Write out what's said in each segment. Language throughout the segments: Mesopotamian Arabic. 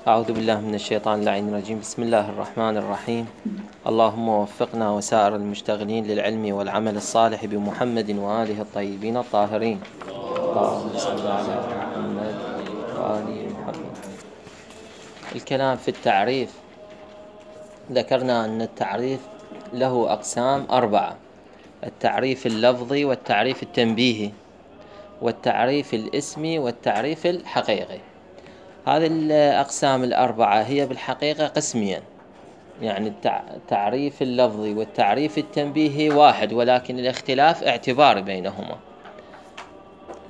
أعوذ بالله من الشيطان اللعين الرجيم. بسم الله الرحمن الرحيم. اللهم وفقنا وسائر المشتغلين للعلم والعمل الصالح بمحمد وآله الطيبين الطاهرين. اللهم صل على محمد وآل محمد. الكلام في التعريف، ذكرنا أن التعريف له أقسام 4: التعريف اللفظي، والتعريف التنبيهي، والتعريف الاسمي، والتعريف الحقيقي. هذه الأقسام 4 هي بالحقيقة قسمين، يعني التعريف اللفظي والتعريف التنبيهي واحد، ولكن الاختلاف اعتباري بينهما.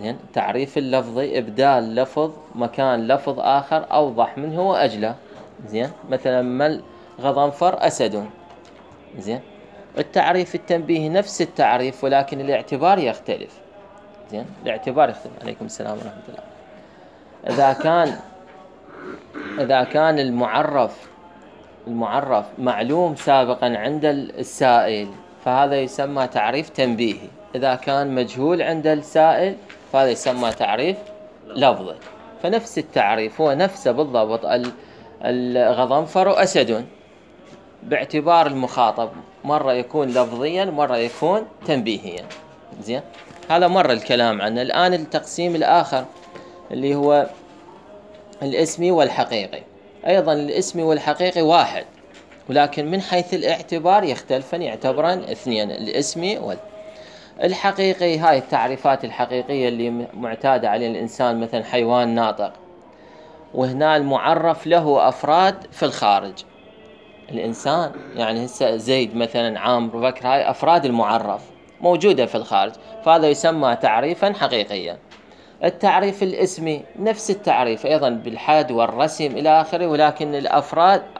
التعريف اللفظي إبدال لفظ مكان لفظ آخر أوضح منه وأجلى. زين، مثلا ما الغضنفر أسد. زين. التعريف التنبيهي نفس التعريف ولكن الاعتبار يختلف. زين، الاعتبار يختلف. عليكم السلام ورحمة الله. إذا كان المعرف معلوم سابقا عند السائل فهذا يسمى تعريف تنبيهي. إذا كان مجهول عند السائل فهذا يسمى تعريف لفظي. فنفس التعريف هو نفسه بالضبط، الغضنفر أسد، باعتبار المخاطب مرة يكون لفظيا مرة يكون تنبيهيا. زين، هذا مرة الكلام عنه. الآن التقسيم الآخر اللي هو الاسمي والحقيقي. أيضا الاسمي والحقيقي واحد، ولكن من حيث الاعتبار يختلفان، يعتبران اثنين: الاسمي والحقيقي. هاي التعريفات الحقيقية اللي معتادة عليه الإنسان، مثلا حيوان ناطق، وهنا المعرف له أفراد في الخارج. الإنسان يعني هسه زيد مثلا، عامر، بكر، هاي أفراد المعرف موجودة في الخارج، فهذا يسمى تعريفا حقيقيا. التعريف الاسمي نفس التعريف أيضا بالحد والرسم إلى آخره، ولكن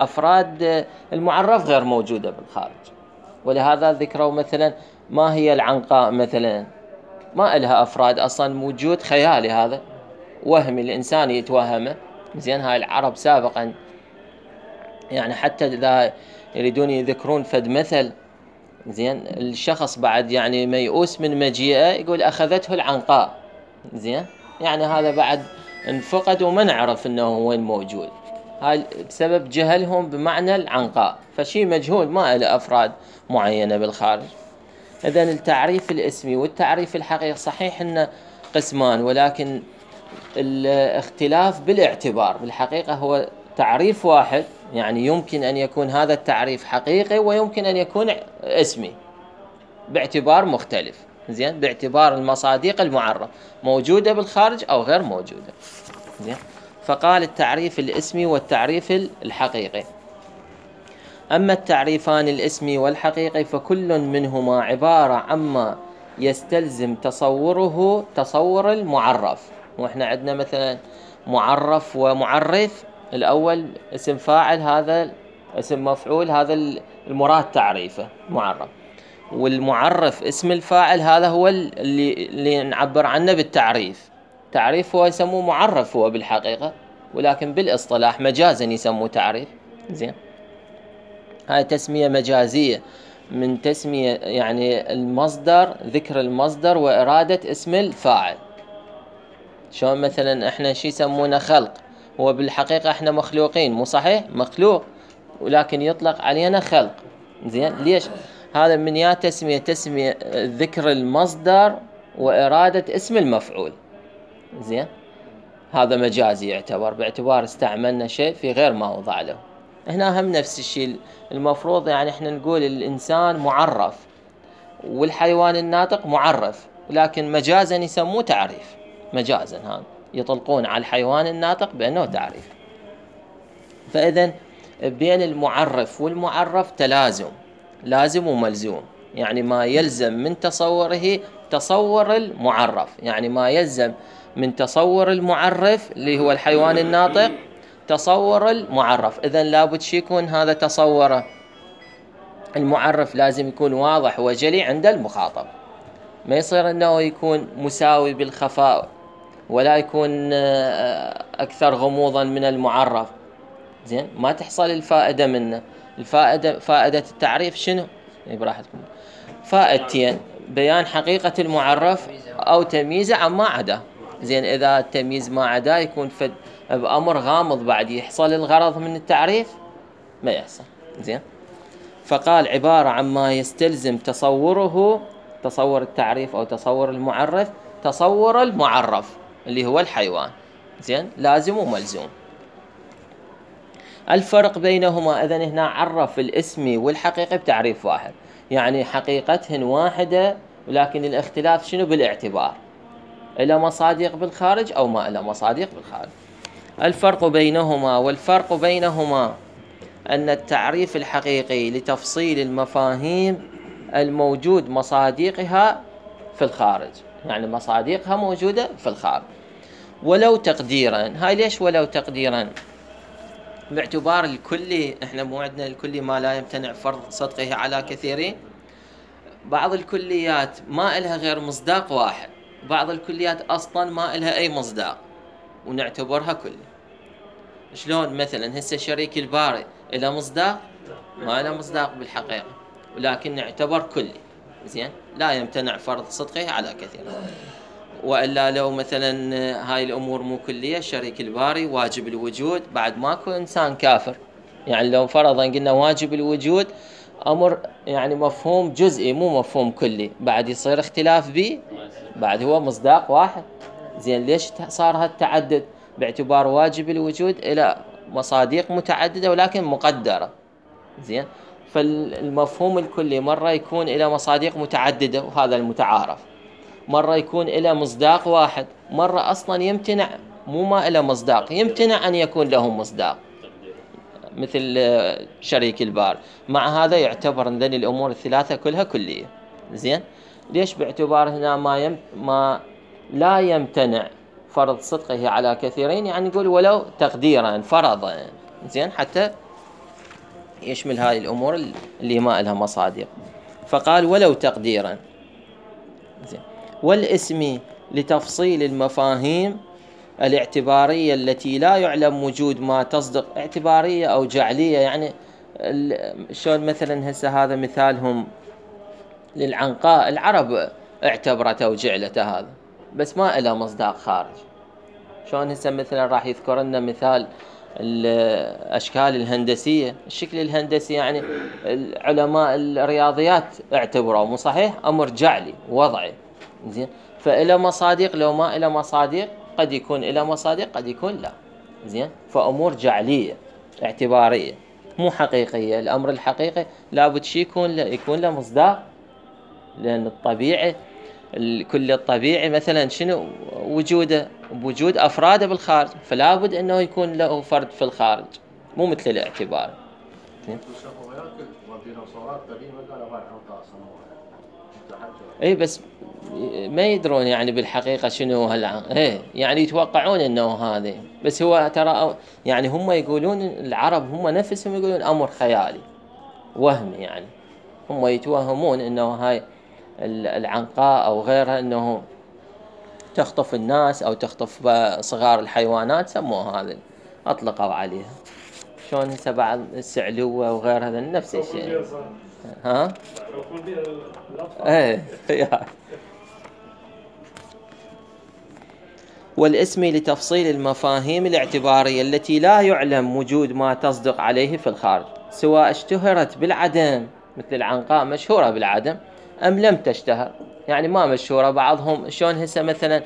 أفراد المعرف غير موجودة بالخارج. ولهذا ذكروا مثلا ما هي العنقاء مثلا، ما إلها أفراد أصلا، وجود خيالي، هذا وهمي الإنسان يتوهمه. زين، هاي العرب سابقا يعني حتى إذا يريدون يذكرون فد مثل، زين، الشخص بعد يعني ميؤوس من مجيئه يقول أخذته العنقاء. زين، يعني هذا بعد انفقد وما نعرف انه وين موجود، هاي بسبب جهلهم بمعنى العنقاء، فشي مجهول ما له افراد معينة بالخارج. اذن التعريف الاسمي والتعريف الحقيقي صحيح انه قسمان، ولكن الاختلاف بالاعتبار. بالحقيقة هو تعريف واحد، يعني يمكن ان يكون هذا التعريف حقيقي ويمكن ان يكون اسمي باعتبار مختلف. زين، باعتبار المصادق المعرف موجودة بالخارج أو غير موجودة. زين، فقال التعريف الاسمي والتعريف الحقيقي. أما التعريفان الاسمي والحقيقي فكل منهما عبارة عما يستلزم تصوره تصور المعرف. وإحنا عندنا مثلا معرف ومعرف. الأول اسم فاعل، هذا اسم مفعول، هذا المراد تعريفه معرف. والمعرف اسم الفاعل، هذا هو اللي نعبر عنه بالتعريف. تعريف هو يسموه معرف هو بالحقيقة، ولكن بالاصطلاح مجازا يسموه تعريف. زين، هاي تسمية مجازية من تسمية يعني المصدر، ذكر المصدر وإرادة اسم الفاعل. شلون مثلا احنا شي يسمونه خلق، هو بالحقيقة احنا مخلوقين، مو صحيح؟ مخلوق ولكن يطلق علينا خلق. زين، ليش؟ هذا من يا تسمية ذكر المصدر وإرادة اسم المفعول. زين، هذا مجازي يعتبر باعتبار استعملنا شيء في غير ما وضع له. هنا هم نفس الشيء، المفروض يعني احنا نقول الإنسان معرف والحيوان الناطق معرف، لكن مجازا يسموه تعريف. مجازا هذا يطلقون على الحيوان الناطق بأنه تعريف. فإذن بين المعرف والمعرف تلازم، لازم وملزوم. يعني ما يلزم من تصوره تصور المعرف، يعني ما يلزم من تصور المعرف اللي هو الحيوان الناطق تصور المعرف. إذن لابد شي يكون هذا تصوره المعرف لازم يكون واضح وجلي عند المخاطب، ما يصير أنه يكون مساوي بالخفاء ولا يكون أكثر غموضا من المعرف. زين، ما تحصل الفائدة منه. فائدة التعريف شنو؟ براحتكم. فائدتين: بيان حقيقة المعرف أو تمييزه عما عدا. زين، إذا التمييز ما عدا يكون بأمر غامض بعد يحصل الغرض من التعريف؟ ما يحصل. زين. فقال عبارة عما يستلزم تصوره، تصور التعريف أو تصور المعرف، تصور المعرف اللي هو الحيوان. زين، لازم وملزوم. الفرق بينهما، إذن هنا عرف الاسمي والحقيقي بتعريف واحد، يعني حقيقتهن واحدة، ولكن الاختلاف شنو؟ بالاعتبار، إلى مصادق بالخارج أو ما إلى مصادق بالخارج. الفرق بينهما، والفرق بينهما أن التعريف الحقيقي لتفصيل المفاهيم الموجود مصادقها في الخارج، يعني مصادقها موجودة في الخارج. ولو تقديرا، هاي ليش ولو تقديرا؟ باعتبار الكلي، احنا مو عندنا الكلي ما لا يمتنع فرض صدقه على كثيرين. بعض الكليات ما إلها غير مصداق واحد، بعض الكليات أصلا ما إلها أي مصداق ونعتبرها كلي. شلون مثلا هسه شريك الباري إلى مصداق؟ ما إلى مصداق بالحقيقة، ولكن نعتبر كلي. زين، لا يمتنع فرض صدقه على كثير. وإلا لو مثلا هاي الأمور مو كلية، شريك الباري واجب الوجود، بعد ماكو إنسان كافر. يعني لو فرضا قلنا واجب الوجود أمر يعني مفهوم جزئي مو مفهوم كلي، بعد يصير اختلاف به، بعد هو مصداق واحد. زين، ليش صار هالتعدد؟ باعتبار واجب الوجود إلى مصادق متعددة ولكن مقدرة. زين، فالمفهوم الكلي مرة يكون إلى مصادق متعددة وهذا المتعارف، مرة يكون إلى مصداق واحد، مرة أصلا يمتنع، مو ما إلى مصداق، يمتنع أن يكون له مصداق، مثل شريك البار. مع هذا يعتبر ذن الأمور الثلاثة كلها كلية. زين، ليش؟ باعتبار هنا ما لا يمتنع فرض صدقه على كثيرين، يعني نقول ولو تقديرا فرضا. زين، حتى يشمل هاي الأمور اللي ما لها مصادق. فقال ولو تقديرا. زين. والاسم لتفصيل المفاهيم الاعتبارية التي لا يعلم وجود ما تصدق، اعتبارية أو جعلية، يعني شلون مثلا هسه هذا مثالهم للعنقاء، العرب اعتبرته وجعلته هذا، بس ما إله مصداق خارج. شلون هسه مثلا راح يذكر لنا مثال الأشكال الهندسية، الشكل الهندسي، يعني علماء الرياضيات اعتبروا مو صحيح، أمر جعلي وضعي. زين، فإلى مصادق، لو ما إلى مصادق قد يكون إلى مصادق قد يكون لا. زين، فأمور جعلية اعتبارية مو حقيقية. الأمر الحقيقي لابد شي يكون له مصداق، لأن الطبيعي الكل الطبيعي مثلا شنو وجوده؟ بوجود أفراده بالخارج، فلا بد أنه يكون له فرد في الخارج، مو مثل الاعتبار. اي بس ما يدرون يعني بالحقيقة شنو يعني يتوقعون انه هذا، بس هو ترى يعني هم يقولون، العرب هم نفسهم يقولون امر خيالي وهمي، يعني هم يتوهمون انه هاي العنقاء او غيرها انه تخطف الناس او تخطف صغار الحيوانات، سموها هذا اطلقوا عليها. شلون هسه بعض السعلوة وغيرها نفس الشيء. ها ايه. والاسم لتفصيل المفاهيم الاعتبارية التي لا يعلم وجود ما تصدق عليه في الخارج، سواء اشتهرت بالعدم، مثل العنقاء مشهورة بالعدم، أم لم تشتهر، يعني ما مشهورة. بعضهم شلون هسه مثلا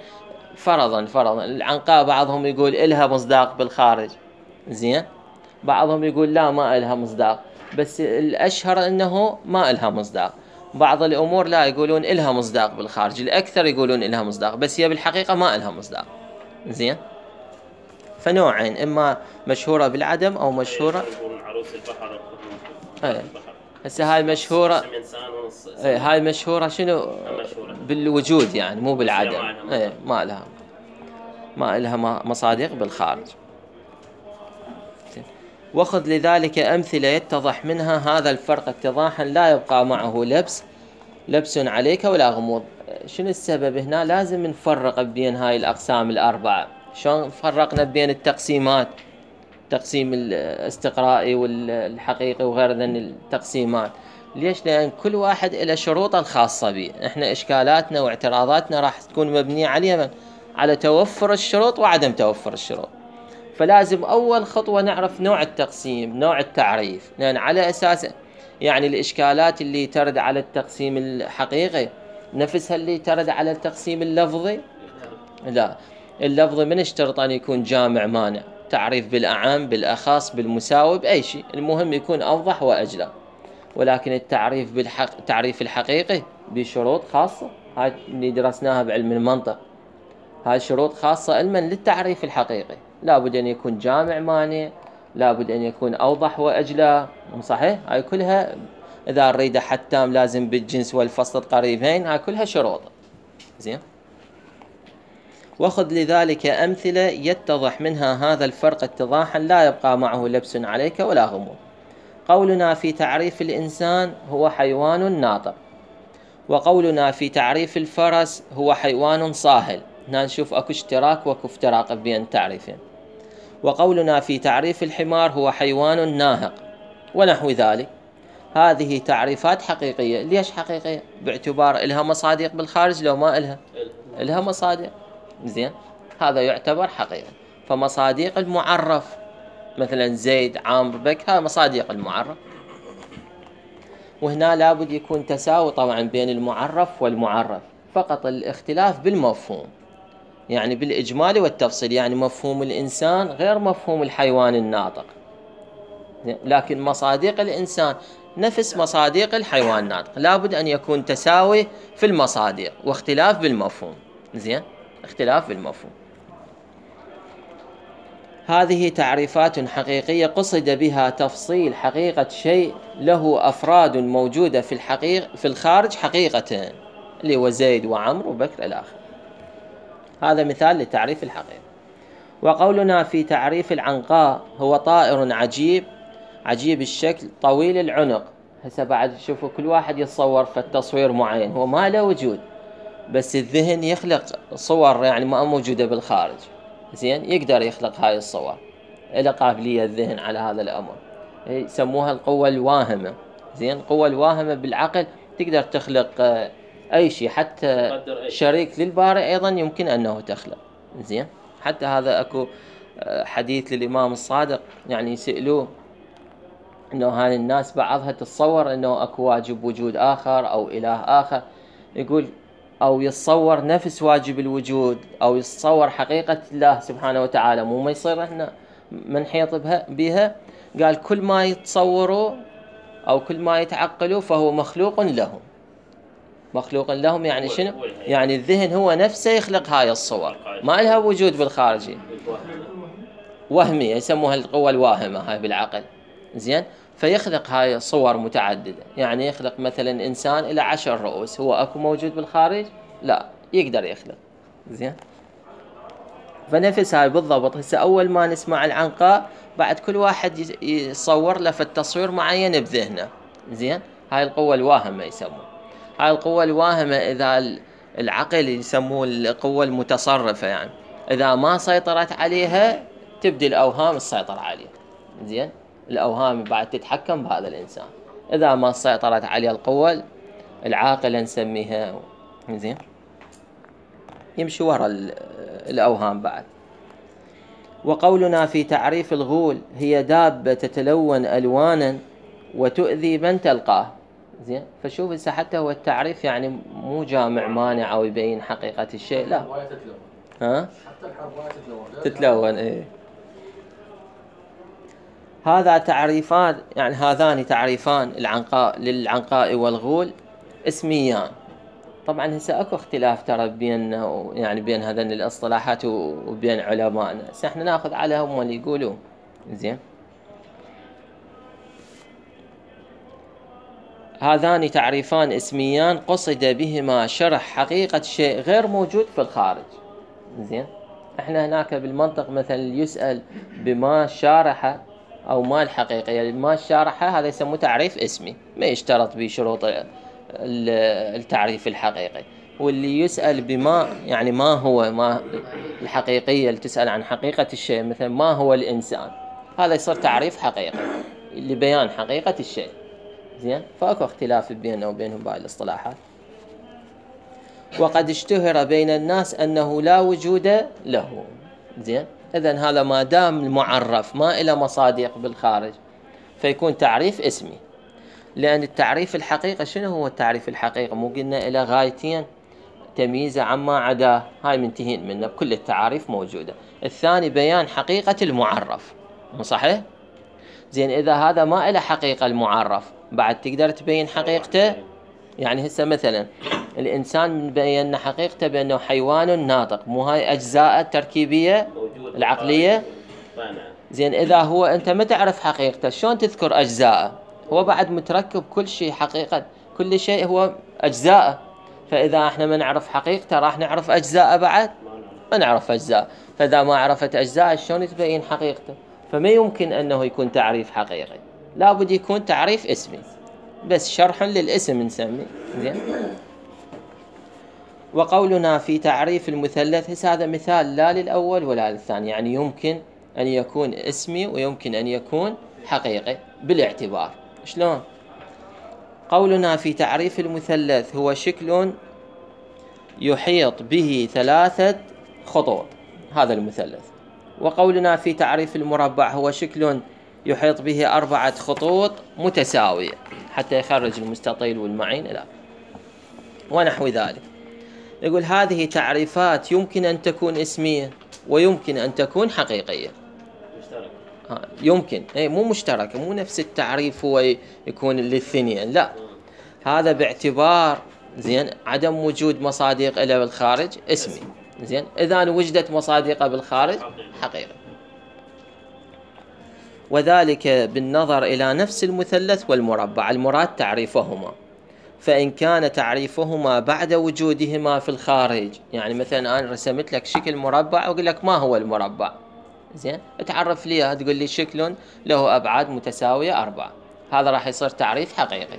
فرضا العنقاء بعضهم يقول إلها مصداق بالخارج، زين، بعضهم يقول لا ما إلها مصداق، بس الأشهر أنه ما إلها مصداق. بعض الأمور لا يقولون إلها مصداق بالخارج، الأكثر يقولون إلها مصداق، بس هي بالحقيقة ما إلها مصداق. زين، فنوعين، إما مشهورة بالعدم أو مشهورة عروس البحر. هسه هاي مشهورة، هاي مشهورة شنو؟ بالوجود، يعني مو بالعدم. ما لها مصادق بالخارج. وخذ لذلك أمثلة يتضح منها هذا الفرق اتضاحا لا يبقى معه لبس عليك ولا غموض. شنو السبب هنا؟ لازم نفرق بين هاي الأقسام الأربعة. شلون فرقنا بين التقسيمات، تقسيم الاستقرائي والحقيقي وغير ذن التقسيمات؟ ليش؟ لأن كل واحد له شروطه الخاصة به. احنا إشكالاتنا واعتراضاتنا راح تكون مبنية على توفر الشروط وعدم توفر الشروط. فلازم أول خطوة نعرف نوع التقسيم، نوع التعريف، لأن على أساس يعني الإشكالات اللي ترد على التقسيم الحقيقي نفسها اللي ترد على التقسيم اللفظي؟ لا، اللفظي من اشترط أن يكون جامع مانع، تعريف بالأعم بالأخص بالمساوي بأي شيء، المهم يكون أوضح وأجلى. ولكن التعريف الحقيقي بشروط خاصة، هاي اللي درسناها بعلم المنطق، هاي شروط خاصة علما للتعريف الحقيقي، لابد أن يكون جامع مانع، لابد أن يكون أوضح وأجلى، صحيح؟ هاي كلها إذا نريد حد تام لازم بالجنس والفصل قريبين، هاي كلها شروط. زين، وخذ لذلك أمثلة يتضح منها هذا الفرق اتضاحا لا يبقى معه لبس عليك ولا غموض. قولنا في تعريف الإنسان هو حيوان ناطق، وقولنا في تعريف الفرس هو حيوان صاهل، هنا نشوف اكو اشتراك واكو افتراق بين تعريفين. وقولنا في تعريف الحمار هو حيوان ناهق ونحو ذلك. هذه تعريفات حقيقية. ليش حقيقية؟ باعتبار إلها مصادق بالخارج لو ما إلها؟ إلها مصادق. زين، هذا يعتبر حقيقة. فمصادق المعرف مثلا زيد عامر بك، هذا مصادق المعرف، وهنا لابد يكون تساوي طبعا بين المعرف والمعرف، فقط الاختلاف بالمفهوم، يعني بالإجمال والتفصيل، يعني مفهوم الإنسان غير مفهوم الحيوان الناطق، لكن مصادق الإنسان نفس مصادق الحيوان الناطق، لابد أن يكون تساوي في المصادق واختلاف بالمفهوم. زين، اختلاف بالمفهوم. هذه تعريفات حقيقية قصد بها تفصيل حقيقة شيء له أفراد موجودة في الخارج حقيقة، اللي هو زيد وعمر وبكر الآخر. هذا مثال لتعريف الحقيقة. وقولنا في تعريف العنقاء هو طائر عجيب الشكل طويل العنق. هسه بعد شوفوا كل واحد يتصور في التصوير معين، هو ما له وجود، بس الذهن يخلق صور يعني ما موجودة بالخارج. زين، يقدر يخلق هاي الصور، إلى قابلية الذهن على هذا الأمر، يسموها القوة الواهمة. زين، القوة الواهمة بالعقل تقدر تخلق أي شيء، حتى شريك للباري أيضا يمكن أنه تخلق. زين، حتى هذا أكو حديث للإمام الصادق، يعني يسألوه أنه هاي الناس بعضها تتصور أنه أكو واجب وجود آخر أو إله آخر، يقول أو يتصور نفس واجب الوجود أو يتصور حقيقة الله سبحانه وتعالى، مو ما يصير إحنا منحيط بها. قال كل ما يتصوروا أو كل ما يتعقلوا فهو مخلوق لهم. مخلوق لهم يعني شنو؟ يعني الذهن هو نفسه يخلق هاي الصور، ما لها وجود بالخارجي، وهمية، يسموها القوة الواهمة هاي بالعقل. زين، فيخلق هاي صور متعددة، يعني يخلق مثلا إنسان إلى 10 رؤوس، هو أكو موجود بالخارج؟ لا، يقدر يخلق. زين، فنفس هاي بالضبط. هسه أول ما نسمع العنقاء بعد كل واحد يصور له في التصوير معين بذهنه. زين، هاي القوة الواهمة يسموه. هاي القوة الواهمة إذا العقل يسموه القوة المتصرفة، يعني إذا ما سيطرت عليها تبدي الأوهام السيطرة عليها. زين، الأوهام بعد تتحكم بهذا الإنسان، إذا ما سيطرت عليه القوة العاقلة نسميها. زين، يمشي وراء الأوهام بعد. وقولنا في تعريف الغول هي دابة تتلون ألوانا وتؤذي من تلقاه. زين، فشوف هسه حتى هو التعريف يعني مو جامع مانع أو يبين حقيقة الشيء، لا، ها؟ حتى الحرباية تتلون. إيه، هذا تعريفان، يعني هذان تعريفان للعنقاء والغول اسميان. طبعا هسه اكو اختلاف ترى بين يعني بين هذين الاصطلاحات وبين علمائنا، بس احنا ناخذ على هم اللي يقولوا. زين، هذان تعريفان اسميان قصد بهما شرح حقيقة شيء غير موجود في الخارج. زين، احنا هناك بالمنطق مثلا يسأل بما شارح او ما الحقيقة، يعني ما شارح هذا يسموه تعريف اسمي، ما يشترط به شروط التعريف الحقيقي. واللي يسأل بما يعني ما هو ما الحقيقية، اللي تسأل عن حقيقة الشيء، مثلا ما هو الإنسان، هذا يصير تعريف حقيقي لبيان حقيقة الشيء. زين، فأكو اختلاف بيننا وبينهم باقي الاصطلاحات. وقد اشتهر بين الناس أنه لا وجود له. زين، إذن هذا ما دام المعرف ما إلى مصادق بالخارج فيكون تعريف اسمي. لأن التعريف الحقيقة، شنو هو التعريف الحقيقة؟ مو قلنا إلى غايتين: تمييزه عما عداه، هاي منتهين منه، كل التعاريف موجودة. الثاني بيان حقيقة المعرف، مو صحيح؟ زين إذا هذا ما إلى حقيقة المعرف بعد تقدر تبين حقيقته؟ يعني هسه مثلا الإنسان بينا حقيقته بأنه حيوان ناطق، مو هاي أجزاء التركيبية العقلية؟ زين إذا هو أنت ما تعرف حقيقته شلون تذكر أجزاءه؟ هو بعد متركب كل شيء، حقيقة كل شيء هو أجزاء. فإذا احنا ما نعرف حقيقته راح نعرف أجزاء بعد؟ ما نعرف أجزاء. فإذا ما عرفت أجزاء شلون تبين حقيقته؟ فما يمكن أنه يكون تعريف حقيقي، لابد يكون تعريف اسمي، بس شرح للاسم نسميه. زين. وقولنا في تعريف المثلث، هذا مثال لا للأول ولا للثاني، يعني يمكن أن يكون اسمي ويمكن أن يكون حقيقي بالاعتبار. شلون؟ قولنا في تعريف المثلث هو شكل يحيط به 3 خطوط، هذا المثلث. وقولنا في تعريف المربع هو شكل يحيط به 4 خطوط متساوية حتى يخرج المستطيل والمعين إلى ونحو ذلك. يقول هذه تعريفات يمكن أن تكون اسمية ويمكن أن تكون حقيقية. يمكن، مو مشتركة، مو نفس التعريف هو يكون للثنين، لا، هذا باعتبار زين عدم وجود مصادق إلى بالخارج اسمي. زين إذا وجدت مصادق بالخارج حقيقة، وذلك بالنظر إلى نفس المثلث والمربع، المراد تعريفهما. فإن كان تعريفهما بعد وجودهما في الخارج، يعني مثلا أنا رسمت لك شكل مربع وأقول لك ما هو المربع، زين تعرف لي، تقول لي شكل له أبعاد متساوية 4، هذا راح يصير تعريف حقيقي.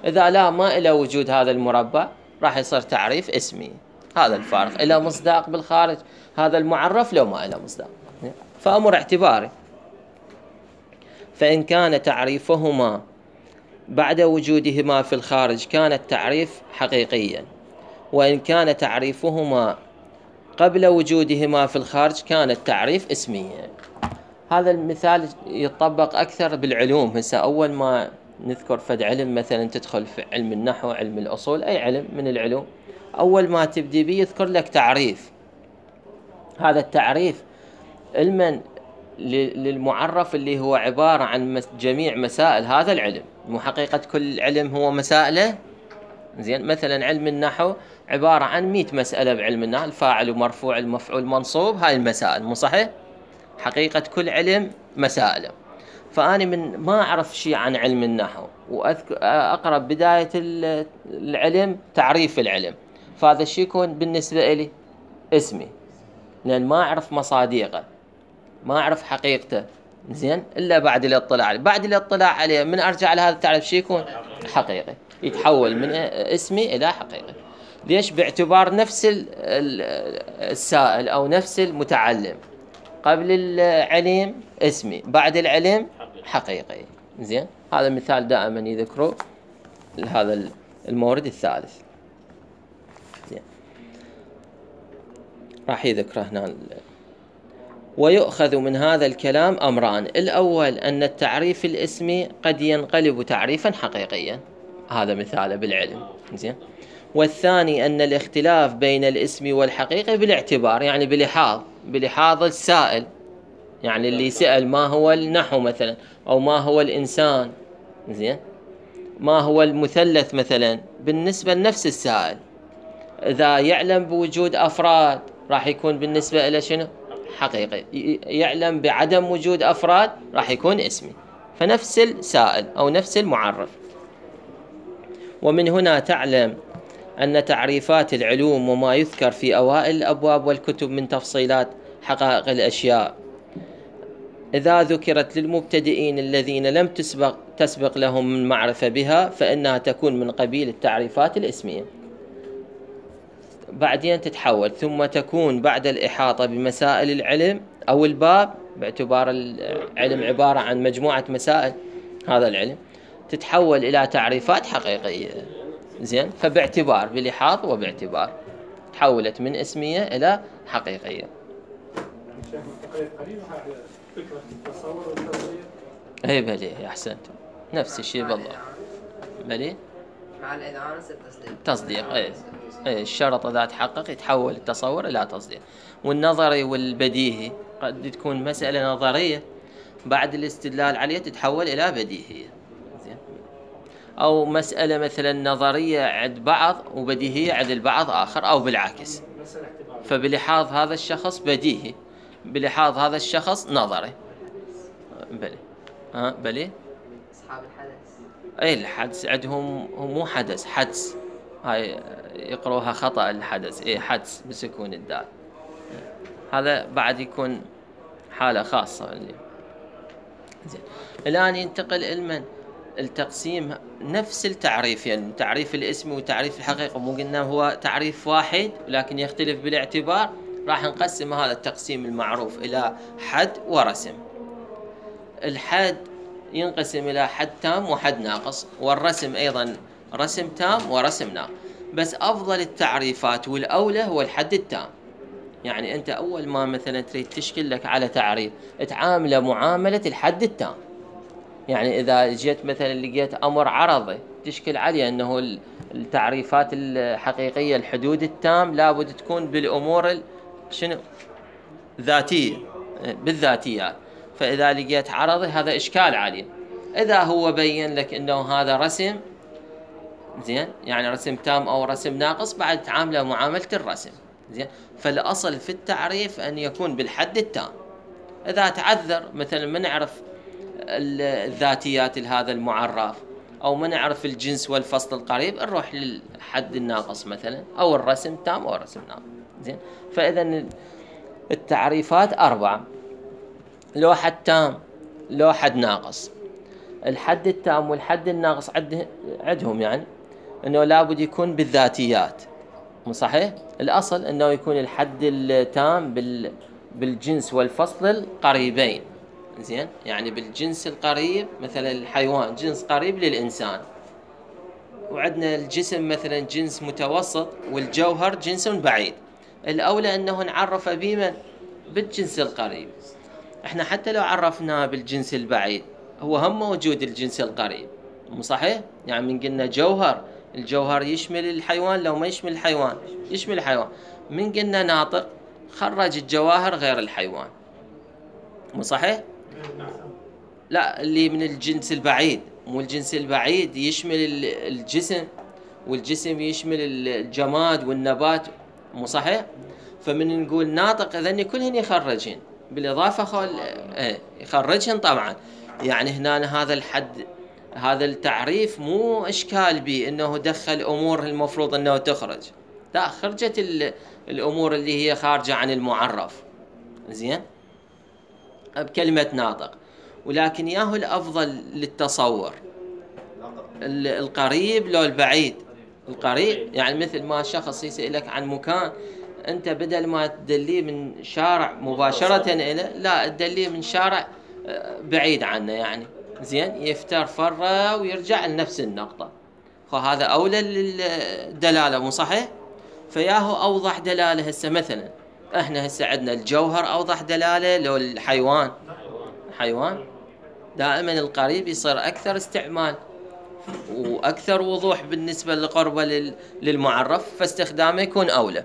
إذا لا، ما إلى وجود هذا المربع، راح يصير تعريف اسمي. هذا الفارق، إلى مصداق بالخارج هذا المعرف لو ما إلى مصداق، فأمر اعتباري. فإن كان تعريفهما بعد وجودهما في الخارج كان التعريف حقيقيا، وإن كان تعريفهما قبل وجودهما في الخارج كان التعريف اسميا. هذا المثال يطبق أكثر بالعلوم. هسه أول ما نذكر فد علم، مثلا تدخل في علم النحو، علم الأصول، أي علم من العلوم، أول ما تبدي به يذكر لك تعريف. هذا التعريف علما للمعرف اللي هو عبارة عن جميع مسائل هذا العلم، مو حقيقة كل علم هو مسائله. زين مثلا علم النحو عبارة عن 100 مسألة بعلم النحو، الفاعل ومرفوع المفعول منصوب، هاي المسائل، مو صحيح؟ حقيقة كل علم مسائله. فأنا من ما أعرف شيء عن علم النحو وأقرأ بداية العلم تعريف العلم، فهذا الشيء يكون بالنسبة لي اسمي، لأن ما أعرف مصادقه، ما أعرف حقيقته، زين إلا بعد الاطلاع عليه. بعد الاطلاع عليه من أرجع لهذا التعريف شيء يكون حقيقي، يتحول من اسمي إلى حقيقي. ليش؟ باعتبار نفس السائل أو نفس المتعلم، قبل العلم اسمي، بعد العلم حقيقي. زين هذا مثال دائما يذكره لهذا المورد الثالث. زين راح يذكره هنا. ويؤخذ من هذا الكلام أمران: الأول أن التعريف الاسمي قد ينقلب تعريفا حقيقيا، هذا مثاله بالعلم. زين. والثاني أن الاختلاف بين الاسم والحقيقي بالاعتبار، يعني بلحاظ السائل، يعني اللي سأل ما هو النحو مثلا، أو ما هو الإنسان، زين ما هو المثلث مثلا، بالنسبة لنفس السائل. إذا يعلم بوجود أفراد راح يكون بالنسبة إلى شنو؟ حقيقي. يعلم بعدم وجود أفراد راح يكون اسمي. فنفس السائل أو نفس المعرف. ومن هنا تعلم أن تعريفات العلوم وما يذكر في أوائل الأبواب والكتب من تفصيلات حقائق الأشياء، إذا ذكرت للمبتدئين الذين لم تسبق لهم المعرفة بها، فإنها تكون من قبيل التعريفات الاسمية، بعدين تتحول ثم تكون بعد الإحاطة بمسائل العلم أو الباب، باعتبار العلم عبارة عن مجموعة مسائل هذا العلم، تتحول إلى تعريفات حقيقية. زين فباعتبار، بلحاظ وباعتبار، تحولت من اسمية إلى حقيقية. شيخ انتقلت قليلا على فكرة التصور والتصديق. اي بلي احسنت، نفس الشيء بالضبط. بلي مع الإذعان يصير تصديق. تصديق، اي الشرط اذا تحقق يتحول التصور الى تصديق. والنظري والبديهي قد تكون مسألة نظرية بعد الاستدلال عليها تتحول الى بديهية، زين. او مسألة مثلا نظرية عند بعض وبديهية عند البعض اخر، او بالعكس. فبلحاظ هذا الشخص بديهي، بلحاظ هذا الشخص نظري. بلي بلي أصحاب الحدث. اي الحدث عندهم مو حدث، حدس. هاي يقروها خطأ الحدث، اي حدس بسكون الدال. هذا بعد يكون حالة خاصة اللي زين. الآن ينتقل المن التقسيم نفس التعريف، يعني تعريف الاسم وتعريف الحقيقة مو قلنا هو تعريف واحد لكن يختلف بالاعتبار. راح نقسم هذا التقسيم المعروف إلى حد ورسم. الحد ينقسم إلى حد تام وحد ناقص، والرسم أيضا رسم تام ورسم ناقص. بس أفضل التعريفات والأولى هو الحد التام. يعني أنت أول ما مثلا تريد تشكل لك على تعريف تعامله معاملة الحد التام. يعني إذا جيت مثلا لقيت أمر عرضي تشكل عليه أنه التعريفات الحقيقية الحدود التام لابد تكون بالأمور شنو ذاتية، بالذاتيات. فإذا لقيت عرضي هذا إشكال عليه. إذا هو بين لك أنه هذا رسم زين، يعني رسم تام أو رسم ناقص، بعد تعامله معاملة الرسم زين. فالأصل في التعريف أن يكون بالحد التام. إذا تعذر مثلا ما نعرف الذاتيات لهذا المعرف أو ما نعرف الجنس والفصل القريب، نروح للحد الناقص مثلا، أو الرسم تام أو الرسم ناقص زين. فإذا التعريفات 4: لو حد تام، لو حد ناقص. الحد التام والحد الناقص عندهم يعني أنه لابد يكون بالذاتيات، مو صحيح؟ الأصل أنه يكون الحد التام بالجنس والفصل القريبين زين. يعني بالجنس القريب مثلا الحيوان جنس قريب للإنسان، وعندنا الجسم مثلا جنس متوسط، والجوهر جنس بعيد. الأولى أنه نعرف بمن بالجنس القريب. احنا حتى لو عرفناه بالجنس البعيد هو هم موجود الجنس القريب، مو صحيح؟ يعني من قلنا جوهر، الجوهر يشمل الحيوان، لو ما يشمل الحيوان يشمل الحيوان. من قلنا ناطق خرج الجواهر غير الحيوان، مو صحيح؟ لا، اللي من الجنس البعيد. مو الجنس البعيد يشمل الجسم، والجسم يشمل الجماد والنبات، مو صحيح؟ فمن نقول ناطق إذن كلهن يخرجين بالإضافة يخرجهن طبعا. يعني هنا هذا الحد، هذا التعريف مو إشكال به إنه دخل أمور المفروض إنه تخرج، لا، خرجت الأمور اللي هي خارجة عن المعرف زين بكلمة ناطق. ولكن ياهو الأفضل للتصور القريب لو البعيد. القريب يعني مثل ما شخص يسألك عن مكان، أنت بدل ما تدليه من شارع مباشرة إلى، لا، تدليه من شارع بعيد عنه يعني زين، يفتر فرة ويرجع لنفس النقطة. فهذا أولى للدلالة، مو صحيح؟ فياهو أوضح دلالة. هسه مثلا احنا هسه عندنا الجوهر أوضح دلالة لو الحيوان. حيوان دائما القريب يصير أكثر استعمال وأكثر وضوح بالنسبة لقربه للمعرف، فاستخدامه يكون أولى.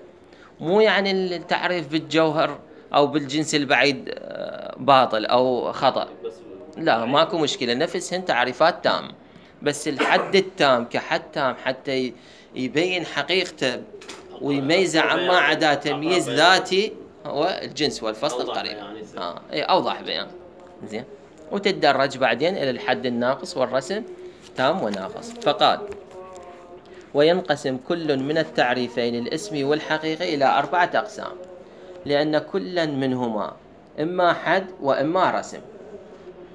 مو يعني التعريف بالجوهر أو بالجنس البعيد باطل أو خطأ، لا، ماكو مشكلة، نفسهن تعريفات تام. بس الحد التام كحد تام حتى يبين حقيقته ويميزه عما عدا تمييز ذاتي هو الجنس والفصل القريب. أوضح بيان زين. وتتدرج بعدين إلى الحد الناقص والرسم تام وناقص. فقال: وينقسم كل من التعريفين الاسمي والحقيقي إلى 4 أقسام، لأن كلا منهما إما حد وإما رسم،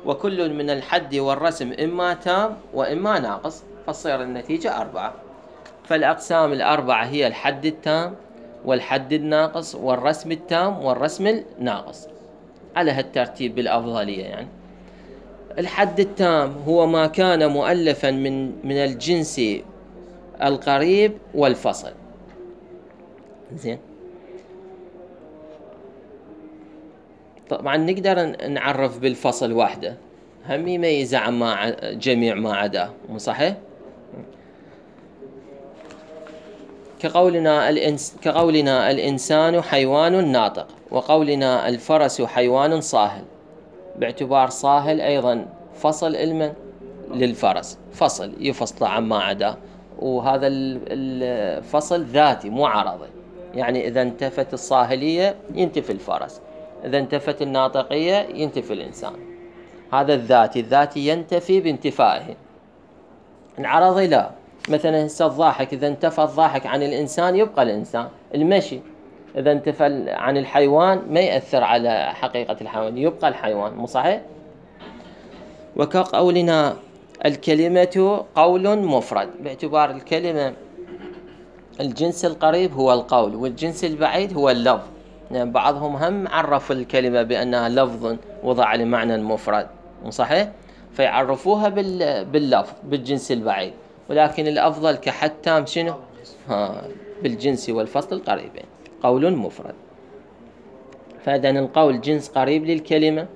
وكل من الحد والرسم إما تام وإما ناقص، فتصير النتيجة 4. فالأقسام 4 هي الحد التام والحد الناقص والرسم التام والرسم الناقص، على هالترتيب بالأفضلية. يعني الحد التام هو ما كان مؤلفا من الجنس القريب والفصل زين. طبعا نقدر نعرف بالفصل وحده، هم يميز عن جميع ما عداه، مو صحيح؟ كقولنا الإنسان حيوان ناطق، وقولنا الفرس حيوان صاهل، باعتبار صاهل أيضا فصل علما للفرس، فصل يفصل عما عداه، وهذا الفصل ذاتي مو عرضي، يعني إذا انتفت الصاهلية ينتفي الفرس، إذا انتفت الناطقية ينتفي الإنسان. هذا الذاتي ينتفي بانتفائه، العرضي لا. مثلا هسه الضاحك، إذا انتفى الضاحك عن الإنسان يبقى الإنسان. المشي إذا انتفى عن الحيوان ما يأثر على حقيقة الحيوان، يبقى الحيوان، مو صحيح؟ وكقولنا الكلمة قول مفرد، باعتبار الكلمة الجنس القريب هو القول، والجنس البعيد هو اللفظ. يعني بعضهم هم عرف الكلمة بأنها لفظ وضع لمعنى مفرد، مو صحيح؟ فيعرفوها باللفظ بالجنس البعيد، ولكن الأفضل كحد تام شنو؟ بالجنس والفصل القريبين، قول مفرد. فإذا القول جنس قريب للكلمة،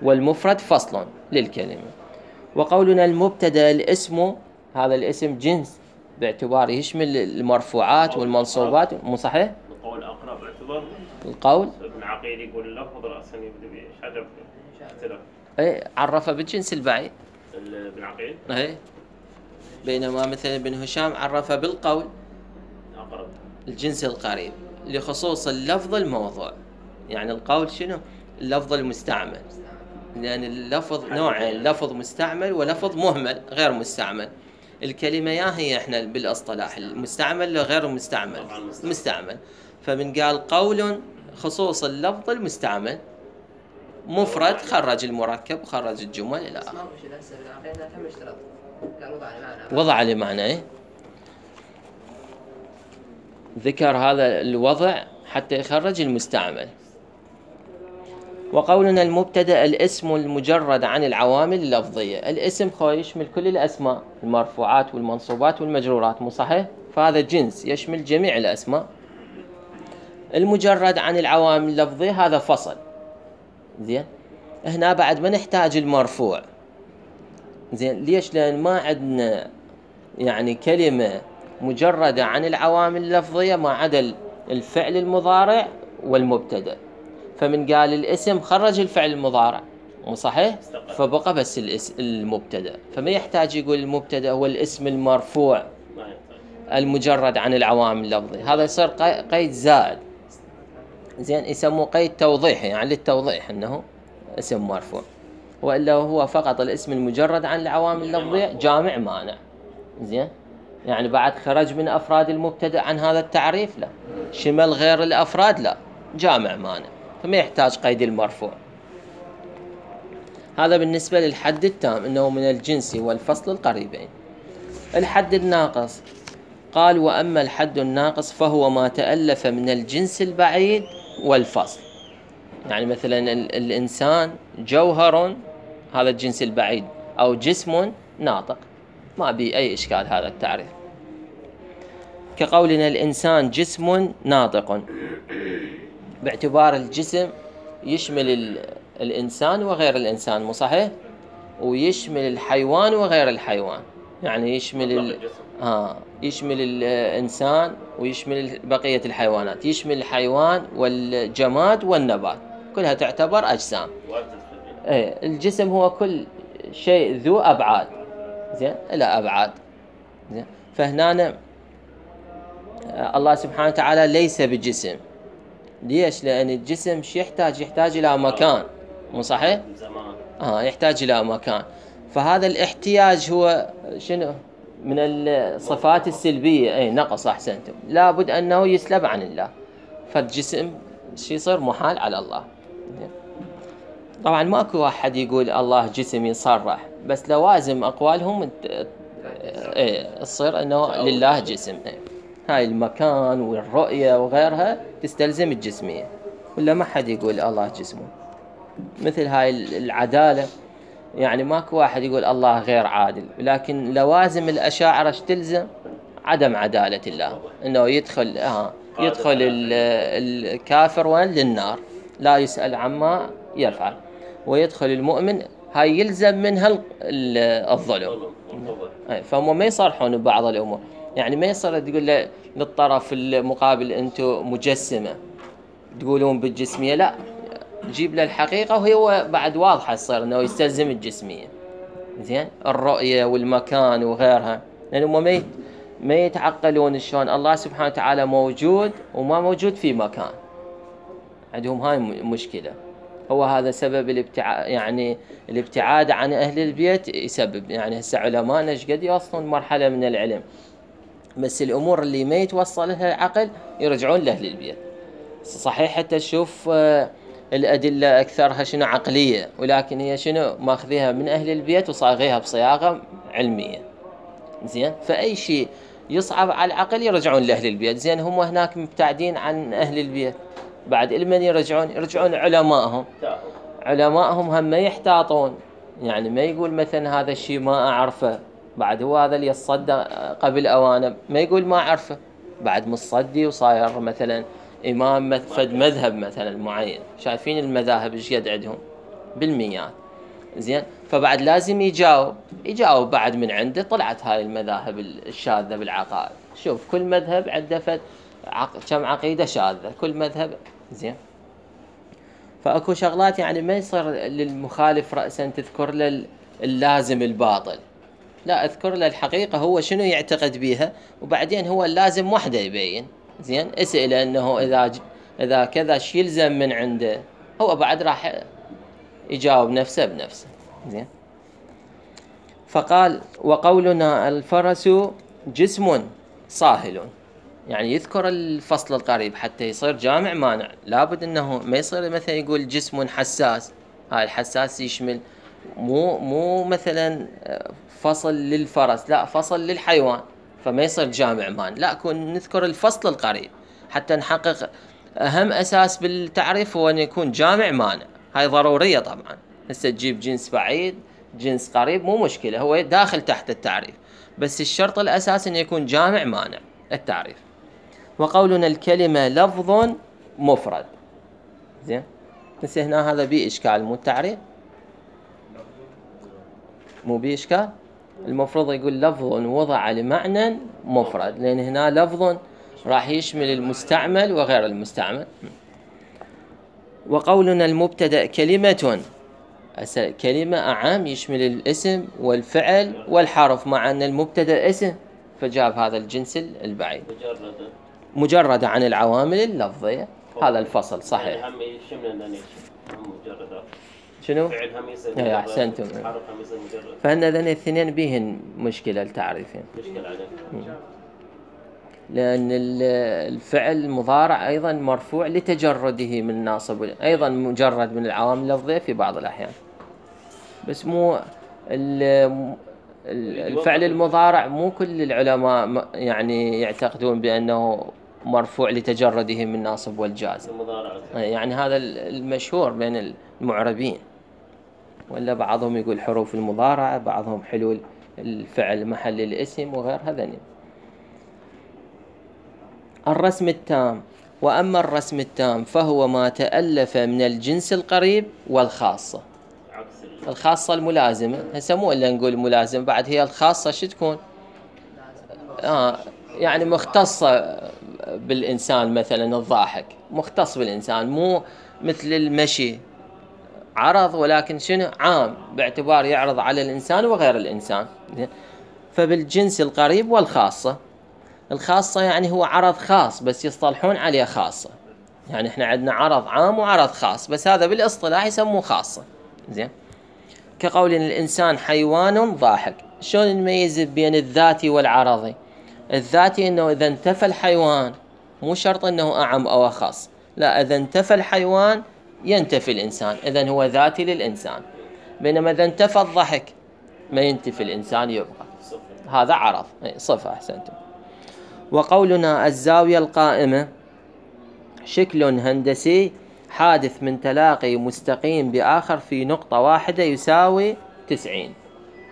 والمفرد فصل للكلمة. وقولنا المبتدأ الاسم، هذا الاسم جنس باعتباره يشمل المرفوعات والمنصوبات، مو صحيح؟ القول أقرب باعتبار القول ابن عقيل يقول اللفظ رأسا يبدأ بشجر اختلاف. عرفه بالجنس البعيد ابن عقيل. بينما مثلا ابن هشام عرفه بالقول أقرب الجنس القريب لخصوص اللفظ الموضوع. يعني القول شنو؟ اللفظ المستعمل، لأن اللفظ نوعين، لفظ مستعمل ولفظ مهمل غير مستعمل. الكلمة يا هي احنا بالاصطلاح المستعمل غير المستعمل، مستعمل. فمن قال قول خصوص اللفظ المستعمل، مفرد خرج المركب وخرج الجمل إلى آخره. وضع لمعنى ذكر هذا الوضع حتى يخرج المستعمل. وقولنا المبتدأ الاسم المجرد عن العوامل اللفظية، الاسم يشمل كل الأسماء، المرفوعات والمنصوبات والمجرورات، مو صحيح؟ فهذا جنس يشمل جميع الأسماء. المجرد عن العوامل اللفظية هذا فصل. زين، هنا بعد ما نحتاج المرفوع. زين، ليش؟ لأن ما عندنا يعني كلمة مجردة عن العوامل اللفظية ما عدا الفعل المضارع والمبتدأ. فمن قال الاسم خرج الفعل المضارع، مو صحيح؟ فبقى بس المبتدأ، فما يحتاج يقول المبتدأ هو الاسم المرفوع المجرد عن العوامل اللفظية، هذا يصير قيد زائد. زين، يسموه قيد توضيحي، يعني للتوضيح انه اسم مرفوع، وإلا هو فقط الاسم المجرد عن العوامل اللفظية جامع مانع. زين، يعني بعد خرج من أفراد المبتدأ عن هذا التعريف لا، شمل غير الأفراد لا، جامع مانع، فما يحتاج قيد المرفوع. هذا بالنسبة للحد التام انه من الجنس والفصل القريبين. الحد الناقص قال وأما الحد الناقص فهو ما تألف من الجنس البعيد والفصل. يعني مثلا الإنسان جوهر، هذا الجنس البعيد، أو جسم ناطق، ما بي أي إشكال هذا التعريف. كقولنا الإنسان جسم ناطق، باعتبار الجسم يشمل الإنسان وغير الإنسان، مو صحيح؟ ويشمل الحيوان وغير الحيوان، يعني يشمل يشمل الإنسان ويشمل بقية الحيوانات، يشمل الحيوان والجماد والنبات، كلها تعتبر أجسام. الجسم هو كل شيء ذو أبعاد، زين، إلى أبعاد. زين، فهنا الله سبحانه وتعالى ليس بجسم. ليش؟ لأن الجسم شو يحتاج إلى مكان، مو صحيح؟ يحتاج إلى مكان. فهذا الاحتياج هو شنو؟ من الصفات السلبية، نقص، أحسنتم، لابد أنه يسلب عن الله، فالجسم يصير محال على الله. طبعا ماكو واحد يقول الله جسم يصرح، بس لوازم أقوالهم تصير أنه لله جسم. هاي المكان والرؤية وغيرها تستلزم الجسمية، ولا ما حد يقول الله جسمه. مثل هاي العدالة، يعني ماكو واحد يقول الله غير عادل، لكن لوازم الأشاعرة تلزم عدم عدالة الله، انه يدخل الكافر وين؟ للنار، لا يسأل عما يفعل ويدخل المؤمن، هاي يلزم منها الظلم. فهم ما يصرحون ببعض الأمور، يعني ما يصير تقول للطرف المقابل أنتم مجسمة تقولون بالجسمية، لا، جيب له الحقيقة وهو بعد واضحة يصير أنه يستلزم الجسمية. زين، الرؤية والمكان وغيرها، لأنهم ما يتعقلون شلون الله سبحانه وتعالى موجود وما موجود في مكان، عندهم هاي مشكلة. هو هذا سبب الابتعاد، يعني الابتعاد عن أهل البيت يسبب، يعني هسه علماءنا ايش قد يوصلون مرحلة من العلم، بس الأمور اللي ما يتوصل لها العقل يرجعون لأهل البيت. صحيح حتى تشوف الأدلة أكثرها شنو عقلية، ولكن هي شنو ماخذيها من أهل البيت وصاغيها بصياغة علمية. زين، فأي شيء يصعب على العقل يرجعون لأهل البيت. زين، هم هناك مبتعدين عن أهل البيت، بعد لمن يرجعون علمائهم هم ما يحتاطون، يعني ما يقول مثلا هذا الشيء ما أعرفه، بعد هو هذا اللي يصدق قبل أوانه ما يقول ما أعرفه، بعد مصدي وصاير مثلا إمام فد مذهب مثلا معين. شايفين المذاهب ايش قد عندهم بالمئات. زين، فبعد لازم يجاوب بعد من عنده طلعت هاي المذاهب الشاذة بالعقائد. شوف كل مذهب عنده كم عقيدة شاذة كل مذهب. زين، فأكو شغلات يعني ما يصير للمخالف رأسا تذكر له اللازم الباطل، لا، اذكر له الحقيقة هو شنو يعتقد بيها، وبعدين هو اللازم وحده يبين. زين، اسئله انه اذا كذا شي يلزم من عنده، هو بعد راح يجاوب نفسه بنفسه. زين، فقال وقولنا الفرس جسم صاهل، يعني يذكر الفصل القريب حتى يصير جامع مانع. لابد انه ما يصير مثلا يقول جسم حساس، هاي الحساس يشمل مو مثلا فصل للفرس، لا، فصل للحيوان، فما يصير جامع مانع، لا، كون نذكر الفصل القريب حتى نحقق اهم اساس بالتعريف هو ان يكون جامع مانع. هاي ضرورية طبعا. هسه تجيب جنس بعيد جنس قريب مو مشكلة، هو داخل تحت التعريف، بس الشرط الاساسي انه يكون جامع مانع التعريف. وقولنا الكلمة لفظ مفرد. زين، بس هنا هذا بيه إشكال، مو التعريف مو بيه إشكال، المفروض يقول لفظ وضع لمعنى مفرد، لأن هنا لفظ راح يشمل المستعمل وغير المستعمل. وقولنا المبتدأ كلمة، كلمة أعام يشمل الاسم والفعل والحرف، مع أن المبتدأ اسم فجاب هذا الجنس البعيد مجرد عن العوامل اللفظية. هذا الفصل صحيح. هم يشمل مجرد شنو؟ فعل هم يصير أحسنتم. حرف هم يصير مجرد، فهن ذن الاثنين بيهن مشكلة التعريفين، مشكلة عليه. لأن الفعل المضارع أيضا مرفوع لتجرده من ناصب، أيضا مجرد من العوامل اللفظية في بعض الأحيان، بس مو الفعل المضارع مو كل العلماء يعني يعتقدون بأنه مرفوع لتجرده من ناصب والجازم، يعني هذا المشهور بين المعربين، ولا بعضهم يقول حروف المضارعة، بعضهم حلول الفعل محل الاسم وغير هذا. الرسم التام. وأما الرسم التام فهو ما تألف من الجنس القريب والخاصة. الخاصة الملازمة، هسه مو إلا نقول ملازم، بعد هي الخاصة شو تكون؟ يعني مختصة بالإنسان، مثلا الضاحك مختص بالإنسان، مو مثل المشي عرض، ولكن شنو عام باعتبار يعرض على الإنسان وغير الإنسان. فبالجنس القريب والخاصة. الخاصة يعني هو عرض خاص بس يصطلحون عليه خاصة، يعني احنا عندنا عرض عام وعرض خاص، بس هذا بالاصطلاح يسموه خاصة. زين، كقول الإنسان حيوان ضاحك. شلون نميز بين الذاتي والعرضي؟ الذاتي انه اذا انتفى الحيوان مو شرط انه اعم او اخص، لا، اذا انتفى الحيوان ينتفي الانسان، اذا هو ذاتي للانسان. بينما اذا انتفى الضحك ما ينتفي الانسان، يبقى هذا عرض، صفة. احسنتم. وقولنا الزاوية القائمة شكل هندسي حادث من تلاقي مستقيم بآخر في نقطة واحدة يساوي 90.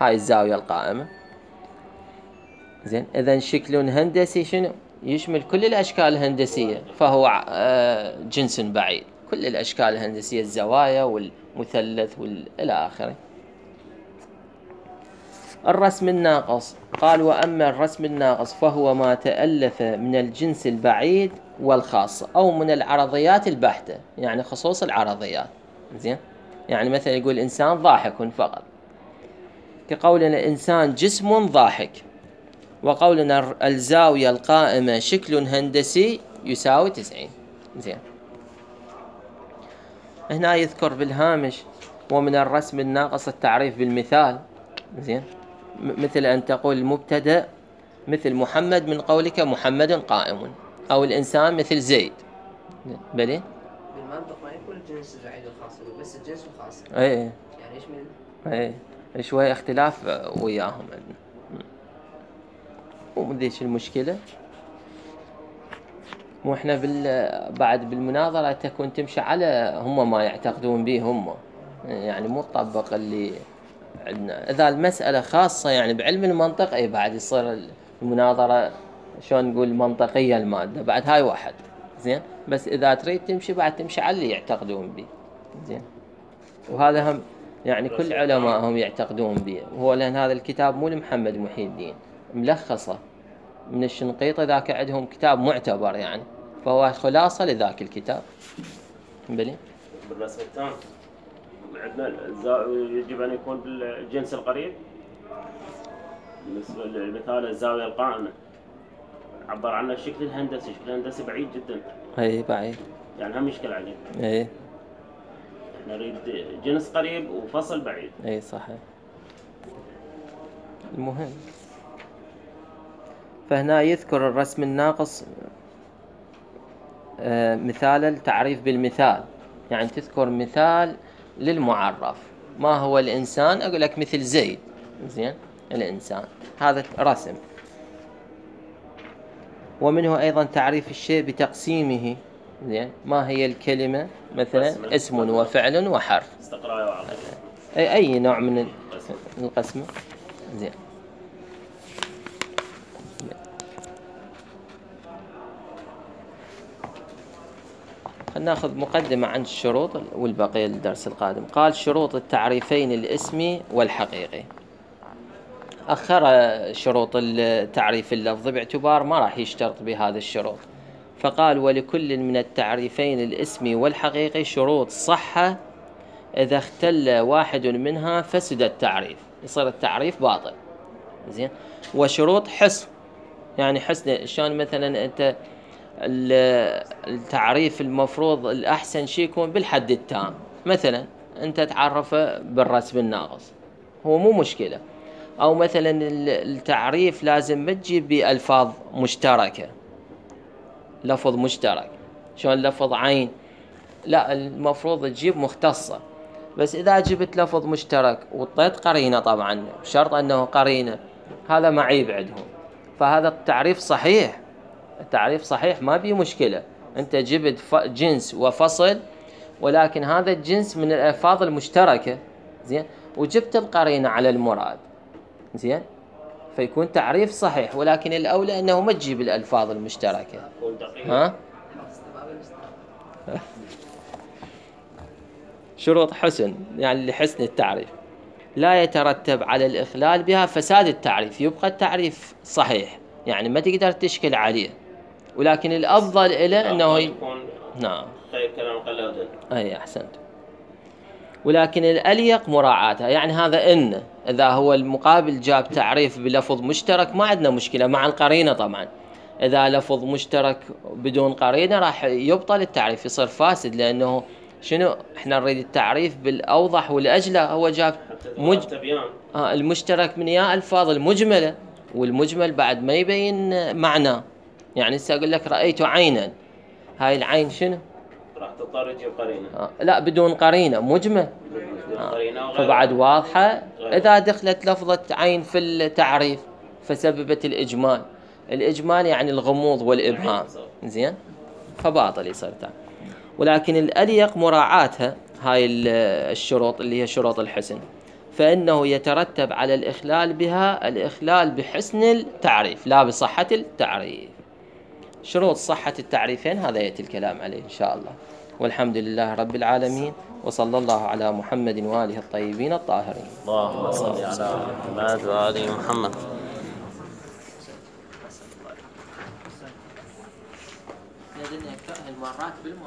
هاي الزاوية القائمة. زين، إذن شكل هندسي شنو؟ يشمل كل الأشكال الهندسية، فهو جنس بعيد، كل الأشكال الهندسية، الزوايا والمثلث إلى آخره. الرسم الناقص، قال وأما الرسم الناقص فهو ما تألف من الجنس البعيد والخاص أو من العرضيات البحتة، يعني خصوص العرضيات. زين، يعني مثلا يقول إنسان ضاحك فقط، كقولنا إنسان جسم ضاحك، وقولنا الزاوية القائمة شكل هندسي يساوي 90. زين، هنا يذكر بالهامش ومن الرسم الناقص التعريف بالمثال. زين، مثل أن تقول المبتدأ مثل محمد من قولك محمد قائم، أو الإنسان مثل زيد. بلي بالمنطق ما يكون الجنس البعيد والخاص، يقول بس الجنس الخاص. اي يعني ايش من شوية اختلاف وياهم عندنا، ومن ذيش المشكلة. واحنا بعد بالمناظرة تكون تمشي على هم ما يعتقدون به هم، يعني مو تطبق اللي عندنا. إذا المسألة خاصة يعني بعلم المنطق، أي بعد يصير المناظرة شلون نقول منطقية المادة، بعد هاي واحد. زين، بس إذا تريد تمشي بعد تمشي على اللي يعتقدون به. زين، وهذا هم يعني كل علماءهم يعتقدون به، وهو لأن هذا الكتاب مو لمحمد محي الدين، ملخصة من الشنقيطي، ذاك عندهم كتاب معتبر يعني، فهو خلاصة لذاك الكتاب. بلي بالرسم الثاني عندنا يجب أن يكون بالجنس القريب. بالنسبة لمثال الزاوية القائمة عبر عنها الشكل الهندسي، الشكل الهندسي بعيد جدا. اي بعيد، يعني هم مشكلة عليه. اي احنا نريد جنس قريب وفصل بعيد. اي صحيح. المهم، فهنا يذكر الرسم الناقص مثال التعريف بالمثال، يعني تذكر مثال للمعرف. ما هو الإنسان؟ أقول لك مثل زيد. زين، الإنسان هذا رسم. ومنه أيضا تعريف الشيء بتقسيمه. زين، ما هي الكلمة؟ مثلا اسم وفعل وحرف. استقراء وعرض. أي نوع من القسمة. زين، خلنا ناخذ مقدمة عن الشروط والبقية الدرس القادم. قال شروط التعريفين الاسمي والحقيقي. أخر شروط التعريف اللفظي باعتبار ما راح يشترط بهذا الشروط، فقال ولكل من التعريفين الاسمي والحقيقي شروط صحة، إذا اختل واحد منها فسد التعريف، يصير التعريف باطل. زين، وشروط حسن، يعني حسن شلون مثلا أنت التعريف المفروض الأحسن شيء يكون بالحد التام، مثلا أنت تعرفه بالرسم الناقص هو مو مشكلة، أو مثلا التعريف لازم ما تجيب بألفاظ مشتركة، لفظ مشترك شلون لفظ عين، لا المفروض تجيب مختصة. بس إذا جبت لفظ مشترك وطيت قرينة، طبعا بشرط أنه قرينة، هذا معيب عندهم. فهذا التعريف صحيح، التعريف صحيح ما بيه مشكلة، أنت جبت جنس وفصل، ولكن هذا الجنس من الألفاظ المشتركة. زين، وجبت القرينة على المراد. زين، فيكون تعريف صحيح، ولكن الأولى أنه ما تجيب الألفاظ المشتركة. ها؟ شروط حسن يعني لحسن التعريف، لا يترتب على الإخلال بها فساد التعريف، يبقى التعريف صحيح يعني ما تقدر تشكل عليه، ولكن الأفضل إلى أنه يكون نعم خير كلام قلادة. أي أحسنت. ولكن الأليق مراعاتها، يعني هذا إن إذا هو المقابل جاب تعريف بلفظ مشترك ما عندنا مشكلة مع القرينة طبعا. إذا لفظ مشترك بدون قرينة راح يبطل التعريف، يصير فاسد، لأنه شنو احنا نريد التعريف بالأوضح والأجلى، هو جاب المشترك من يا ألفاظ المجملة، والمجمل بعد ما يبين معناه. يعني سأقول لك رأيت عينا، هاي العين شنو؟ راح تضطر تجيب قرينة. لا بدون قرينة مجمل. فبعد واضحة. إذا دخلت لفظة عين في التعريف فسببت الإجمال، الإجمال يعني الغموض والإبهام. زين، فباطل يصير تعريف. ولكن الأليق مراعاتها هاي الشروط اللي هي شروط الحسن، فإنه يترتب على الإخلال بها الإخلال بحسن التعريف لا بصحة التعريف. شروط صحة التعريفين هذا يأتي الكلام عليه إن شاء الله. والحمد لله رب العالمين، وصلى الله على محمد وآله الطيبين الطاهرين. اللهم صل على محمد وآل محمد. مرات بالمرات